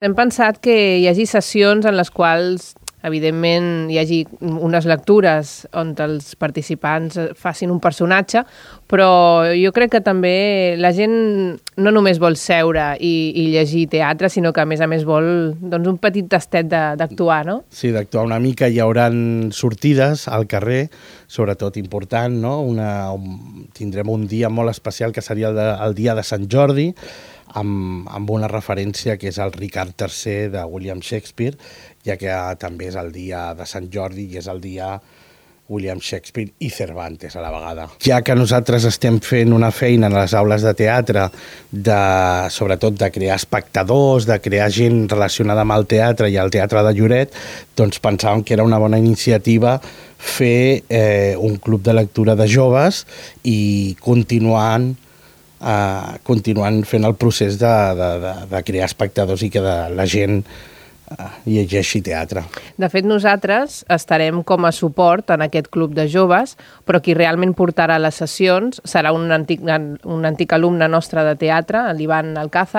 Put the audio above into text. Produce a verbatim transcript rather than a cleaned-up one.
Hem pensat que hi hagi sessions en les quals, evidentment, hi hagi unes lectures on els participants facin un personatge, però jo crec que també la gent no només vol seure i, i llegir teatre, sinó que a més a més vol doncs, un petit tastet d'actuar, no? Sí, d'actuar una mica. Hi haurà sortides al carrer, sobretot important, no? Una, un, tindrem un dia molt especial que seria el, de, el dia de Sant Jordi, amb, amb una referència que és el Ricard tercer de William Shakespeare, ja que també és el dia de Sant Jordi i és el dia William Shakespeare i Cervantes a la vegada. Ja que nosaltres estem fent una feina en les aules de teatre, de, sobretot de crear espectadors, de crear gent relacionada amb el teatre i el teatre de Lloret, doncs pensàvem que era una bona iniciativa fer eh, un club de lectura de joves i continuant Uh, continuant fent el procés de, de, de, de crear espectadors i que de, la gent uh, llegeixi teatre. De fet, nosaltres estarem com a suport en aquest club de joves, però qui realment portarà les sessions serà un antic, un antic alumne nostre de teatre, l'Ivan Alcázar,